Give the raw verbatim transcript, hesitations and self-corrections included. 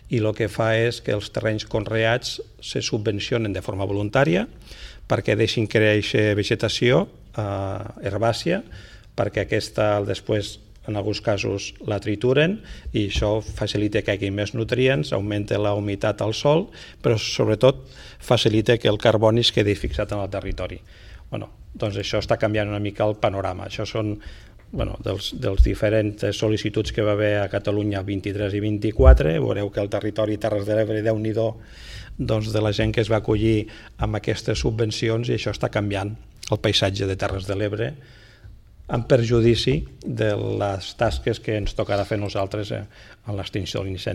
i el que fa és que els terrenys conreats se subvencionen de forma voluntària perquè deixin créixer vegetació eh, herbàcia, perquè aquesta després en alguns casos la trituren i això facilita que hi hagi més nutrients, augmenta la humitat al sòl, però sobretot facilita que el carboni es quedi fixat en el territori. Bueno, doncs això està canviant una mica el panorama. Això són bueno, dels, dels diferents sol·licituds que va haver a Catalunya vint-i-tres i vint-i-quatre. Veureu que el territori Terres de l'Ebre, Déu-n'hi-do, doncs de la gent que es va acollir amb aquestes subvencions, i això està canviant el paisatge de Terres de l'Ebre en perjudici de les tasques que ens tocarà fer nosaltres en l'extinció de l'incendi.